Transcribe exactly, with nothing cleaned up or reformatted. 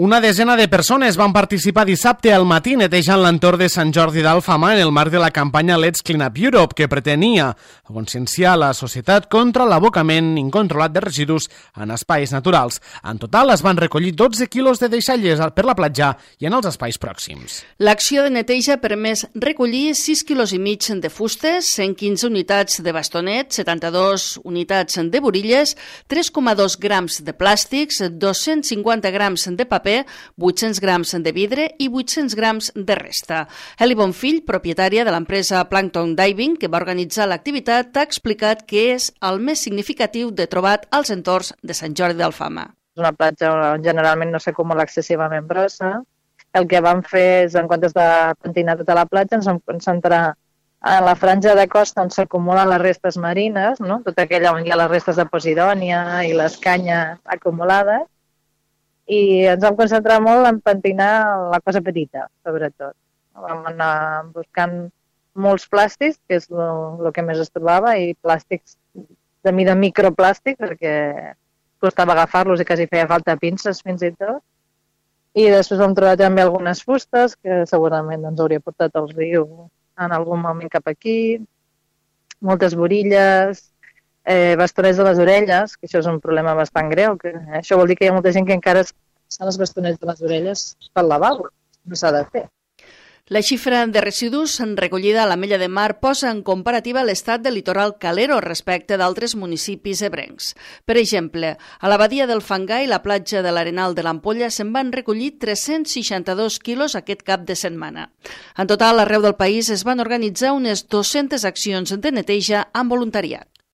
Una desena de persones van participar dissabte al matí netejant l'entorn de Sant Jordi d'Alfama en el marc de la campanya Let's Clean Up Europe, que pretenia conscienciar la societat contra l'abocament incontrolat de residus en espais naturals. En total es van recollir dotze quilos de deixalles per la platja i en els espais pròxims. L'acció de neteja ha permès recollir sis quilos i mig de fustes, cent quinze unitats de bastonets, setanta-dos unitats de borilles, tres coma dos grams de plàstics, dos-cents cinquanta grams de paper, vuit-cents grams de vidre i vuit-cents grams de resta. Eli Bonfill, propietària de l'empresa Plankton Diving, que va organitzar l'activitat, ha explicat que és el més significatiu de trobat als entorns de Sant Jordi d'Alfama. És una platja on generalment no s'acumula excessivament brossa. El que vam fer és, en comptes de pentinar tota la platja, ens vam concentrar en la franja de costa on s'acumulen les restes marines, no? Tota aquella on hi ha les restes de posidònia i les canyes acumulades, i ens vam concentrar molt en pentinar la cosa petita, sobretot. Vam anar buscant molts plàstics, que és el que més es trobava, i plàstics de mida microplàstic, perquè costava agafar-los i quasi feia falta pinces fins i tot. I després vam trobar també algunes fustes, que segurament ens hauria portat al riu en algun moment cap aquí, moltes borilles, Eh, bastonets de les orelles, que això és un problema bastant greu. Que, eh, això vol dir que hi ha molta gent que encara es passen els bastonets de les orelles pel lavabo. No s'ha de fer. La xifra de residus recollida a l'Ametlla de Mar posa en comparativa l'estat del litoral calero respecte d'altres municipis ebrencs. Per exemple, a la badia del Fangar i la platja de l'Arenal de l'Ampolla se'n van recollir tres-cents seixanta-dos quilos aquest cap de setmana. En total, arreu del país es van organitzar unes dues-centes accions de neteja amb voluntariat.